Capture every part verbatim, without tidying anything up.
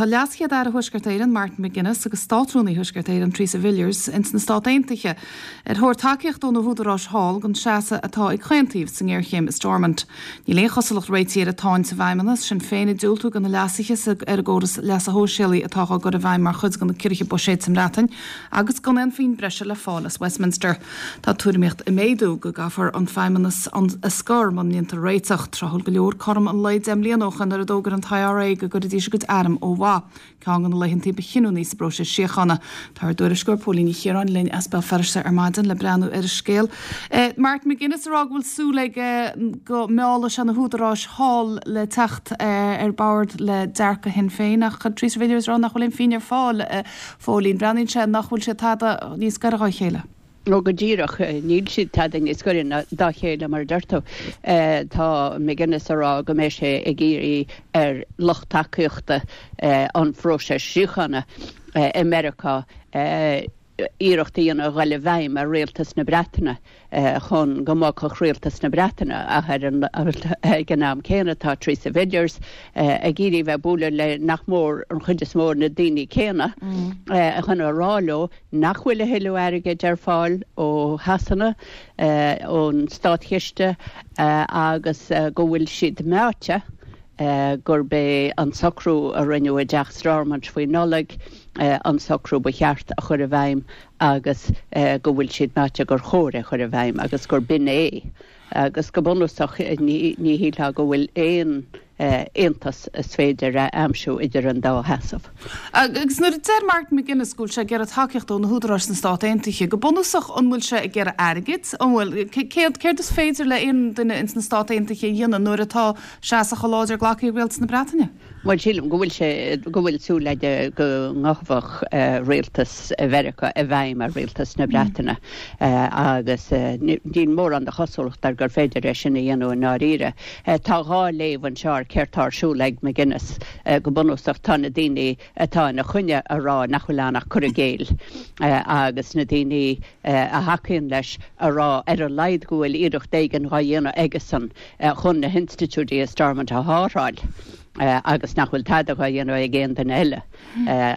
Tá Leas-Chéad-Aire Thuaisceart Éireann Martin McGuinness agus Státrúnaí Thuaisceart Éireann Theresa Villiers ins na Stáit Aontaithe ar thóir tacaíocht ó na húdaráis thall don seasamh atá ag chaon taobh sa ngéarchéim i Stormont. Níl aon chosúlacht réitigh ar an tsáinn sa bhFeidhmeannas, Sinn Féin ag diúltú do na leasuithe ar an gcóras leasa shóisialaigh atá á gcur i bhfeidhm mar chuid de na ciorruithe buiséid sa mBreatain agus gan aon phingin breise le fáil as Westminster. Tá tuairimíocht ag méadú go gcaithfear an Feidhmeannas a scor mura ndéantar réiteach tráthúil go leor cothrom an lae deich mbliana ó shin nuair a d'fhógair an IRA go gcuirfidís a gcuid arm ó mhaith. Ceann de na laethantaí ba chinniúnaí sa bpróiseas síochána. Tá ár dtuairisceoir Póilín Ní Chiaráin linn as Béal Feirste ar maidin le breathnú ar an scéal. Eh, Martin McGuinness ag rá go bhfuil súil aige go meallfaidh sé na húdaráis thall le teacht eh, ar bord le dearcadh Shinn Féin ach Theresa Villiers rá nach bhfuil aon phingin ar fáil eh, Phóilín breathnaíonn sé nach bhfuil sé tada níos gaire dá chéile. Ó go díreach níl siad tada níos gaire dá chéile mar deir tú tá McGuinness ag rá go mbeidh sé ag iarraidh ar lucht tacaíochta an phróisis síochána i Meiriceá iarracht a dhéanamh dul i bhfeidhm ar rialtas na Breataine chun go mbogfadh rialtas na Breataine ach ar an ag an am céanna tá Theresa Villiers ag iarraidh bheith bualadh le nach mór an chuid is mó na daoine céanna chun a rá leo nach bhfuil a thuilleadh airgid ar fáil ó Shasana ón státchiste agus go bhfuil siad meáite gurb é an socrú a rinneadh i dTeach Stormont faoi Nollaig an socrú ba cheart a chur i bhfeidhm agus go bhfuil siad meáite gur chóir a chur i bhfeidhm agus gur b'in é. agus go bunúsach ní shílfeá go bhfuil aon aontas is féidir a aimsiú idir an dá sheasamh. Agus nuair a deir Martin McGuinness go bhfuil sé ag iarraidh tacaíocht ó na húdaráis na Stát Aontaithe, go bunúsach an bhfuil sé ag iarraidh airgid an bhfuil céard céard is féidir le aon duine ins na Stát Aontaithe a dhéanamh nuair atá seasamh chomh láidir glactha ag rialtas na Breataine? Well sílim go bhfuil sé go bhfuil súil aige go ngabhfadh rialtas Mheiriceá i bhfeidhm ar rialtas na Breataine agus níl mórán de chosúlacht ar gur féidir é sin a dhéanamh i ndáiríre. Tá dhá léamh anseo ar céard atá ar siúl ag McGuinness go bunúsach tá na daoine atá ina choinne ag rá nach bhfuil ann ach cur i gcéill agus na daoine a thacaíonn leis ag rá ar a laghad go bhfuil iarracht éigin á dhéanamh aigesan chun na hinstitiúidí i Stormont a shábháil. agus nach bhfuil tada á dhéanamh ag aon duine eile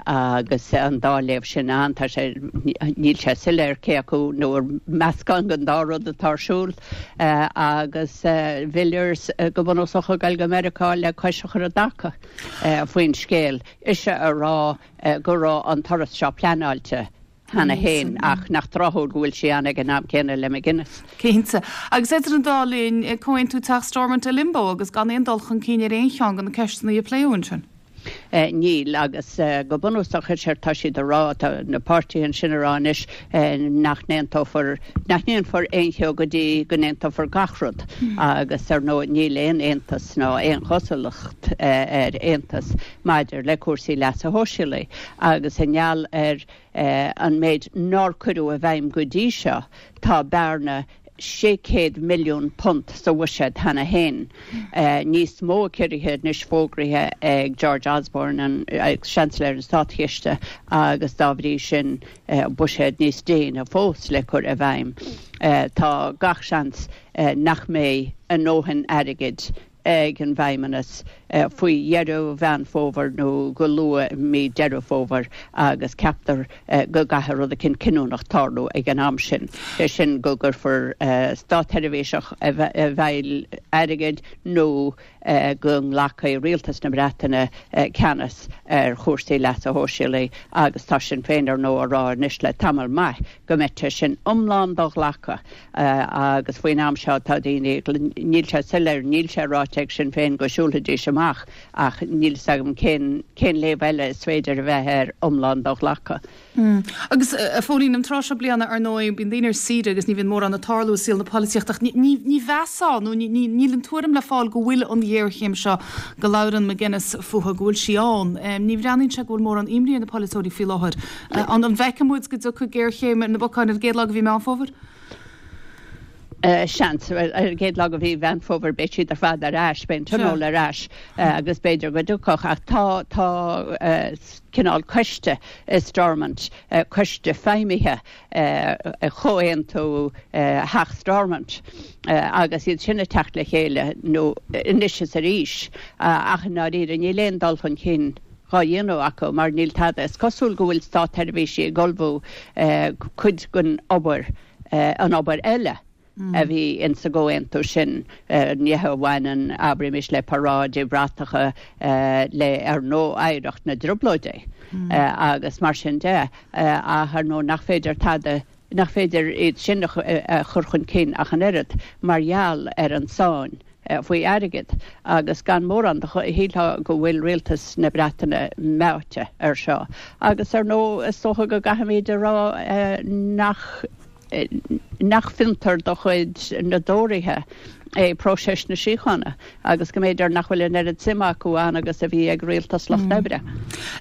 agus an dá léamh sin ann tá sé níl sé soiléir cé acu nó meascán den dá rud atá ar siúl agus Villiers go bunúsach ag dul go Meiriceá le cois a chur i dtaca faoin scéal. Ise ag rá go raibh an turas seo pleanáilte cheana féin ach nach tráthúil go bhfuil sí ann ag an am céanna le McGuinness. Cinnte. Agus idir an dá linn comhaontú Teach Stormont i limbo agus gan aon dul chun cinn ar aon cheann de na ceisteanna a pléadh ansin. Níl agus go bunúsach sé tá siad ag rá na páirtithe ansin ag rá anois nach n-aontófar nach ndéanfar aon cheo go dtí go n-aontófar gach rud agus ar ndóigh níl aon aontas ná aon chosúlacht ar aontas maidir le cúrsaí leasa shóisialaigh agus i ngeall ar an méid nár cuireadh i bhfeidhm go dtí seo tá bearna sé chéad milliún punt sa bhuiséad cheana féin. Níos mó ciorruithe anois fógraithe ag George Osborne an Seansailéir an Státchiste agus dá bhrí sin buiséad níos déine fós le cur i bhfeidhm. Tá gach seans nach mbeidh a ndóthain airgid ag an bhFeidhmeannas faoi dheireadh Mheán Fómhair nó go luath mí Deireadh Fómhair agus ceaptar go gcaithfidh rud éicint cinniúnach tarlú ag an am sin. É sin go gcuirfear státsheirbhíseach i bhfeighil airgid nó go nglacfaidh rialtas na Breataine ceannas ar chúrsaí leasa shóisialaigh agus tá Sinn Féin ar ndóigh ag rá anois le tamall maith go mbeidh sé sin iomlán do-ghlactha agus faoin am seo tá daoine níl sé soiléir níl sé ráite ag Sinn Féin go siúlfaidís amach ach níl agam cén cén léamh eile is féidir a bheith ar iomlán do-ghlactha. Mm. Agus a Phóilín an tráth seo bliana ar ndóigh bíonn daoine ar saoire agus ní bhíonn mórán ag tarlú i saol na polaitíochta ní ní mheasfá nó níl an tuairim le fáil go bhfuil an ghéarchéim seo go labhrann McGuinness fúithi go bhfuil sí ann. Ní bhreathnaíonn sé go bhfuil mórán imní ar na polaiteoirí faoi láthair. An an bhfeicfidh muid go dtiocfaidh géarchéim ar na bacáin ar an gcéad lá de mhí Meán Fómhair? Seans ar an gcéad lá de mhí Mheán Fómhair beidh siad ar fad ar ais, beidh an tionól ar ais agus b'fhéidir go dtiocfadh ach tá tá cineál coiste i Stormont, coiste feidhmithe chomhaontú Theach Stormont agus iad sin ag teacht le chéile nó anois is arís ach i ndáiríre níl aon dul chun cinn dhá dhéanamh acu mar níl tada. Is cosúil go bhfuil státsheirbhísigh ag ullmhú cuid den obair, an obair eile a bhí insa gcomhaontú sin, nithe a bhaineann, abraimis, le paráidí bratacha, le, ar ndóigh, oidhreacht na dTrioblóidí agus mar sin de, ach ar ndóigh nach féidir tada, nach féidir iad sin a chur chun cinn ach an oiread mar gheall ar an tsáinn faoi airgead agus gan mórán de shílfeá go bhfuil rialtas na Breataine meáite air seo. Agus ar ndóigh is dócha go gcaithfimid a rá nach nach fiontar de chuid na dTóraithe é próiseas na síochána agus go mb'fhéidir nach bhfuil an oiread suime acu ann agus a bhí ag rialtas Lucht Oibre.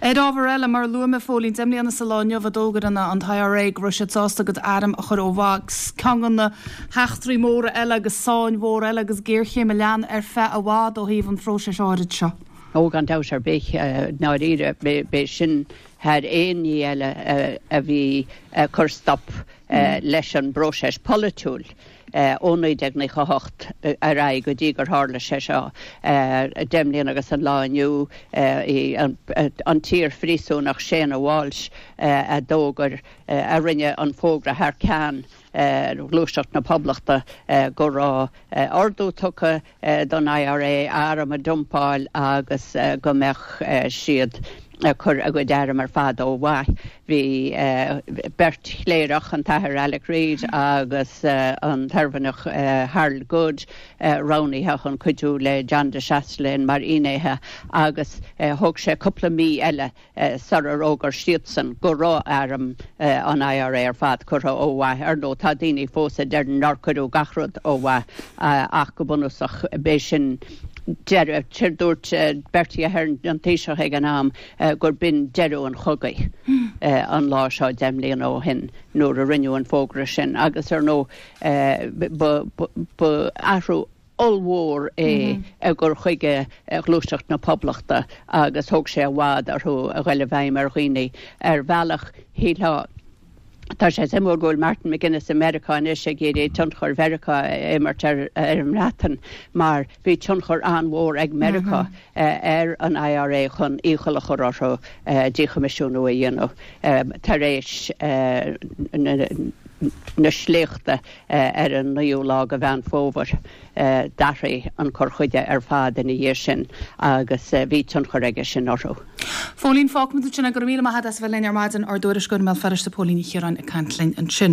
Ar ábhar eile, mar a luaigh mé, a Phóilín, deich mbliana sa lá inniu a d'fhógair an t-I R A go raibh siad sásta a gcuid airm a chur ó mhaith. Ceann de na heachtraí móra eile agus sáinn mhór eile agus géarchéim a lean ar feadh i bhfad ó thaobh an phróisis áirid seo. Ó, gan dabht ar bith, ndáiríre, b'é sin thar aon ní eile a bhí ag cur stop leis an bpróiseas polaitiúil ó naoi déag nócha a hocht ar aghaidh go dtí gur tharla sé seo deich mbliana agus an lá inniu, an t-iar-phríosúnach Séanna Walsh a d'fhógair, a rinne an fógra thar ceann Ghluaiseacht na Poblachta go raibh ordú tugtha don I R A airm a dumpáil agus go mbeadh siad ag cur a gcuid airm ar fad ó mhaith. Bhí beirt chléireach, an tAthair Alec Reid agus an tOirmhinneach Harold Good, roghnaithe chun cuidiú le John de Chastelain mar fhinnéithe agus thóg sé cúpla mí eile sular fhógair siadsan go raibh airm an I R A ar fad curtha ó mhaith. Ar ndóigh, tá daoine fós a deir nár cuireadh gach rud ó mhaith ach go bunúsach b'é sin deireadh. Dúirt Bertie Ahern, an Taoiseach ag an am, gur b'in deireadh an chogaidh an lá seo deich mbliana ó shin nuair a rinneadh an fógra sin agus ar ndóigh ba athrú ollmhór é i gcur chuige Ghluaiseacht na Poblachta agus thóg sé i bhfad orthu a ghoil i bhfeidhm ar dhaoine. Ar bhealach, shílfeá, tá sé suimiúil go bhfuil Martin McGuinness i Meiriceá anois ag iarraidh tionchar Mheiriceá a imirt ar an mBreatain mar bhí tionchar an-mhór ag Meiriceá ar an I R A chun iachall a chur orthu díchoimisiúnú a dhéanamh tar éis na sléachta ar an naoú lá de Mheán Fómhair. D'athraigh an cur chuige ar fad ina dhiaidh sin agus bhí tionchar aige sin orthu. Phóilín, fágfaimid ansin é. Go raibh míle maith agat as a bheith linn ar maidin, ár dtuairisceoir i mBéal Feirste, Póilín Ní Chiaráin ag caint linn ansin.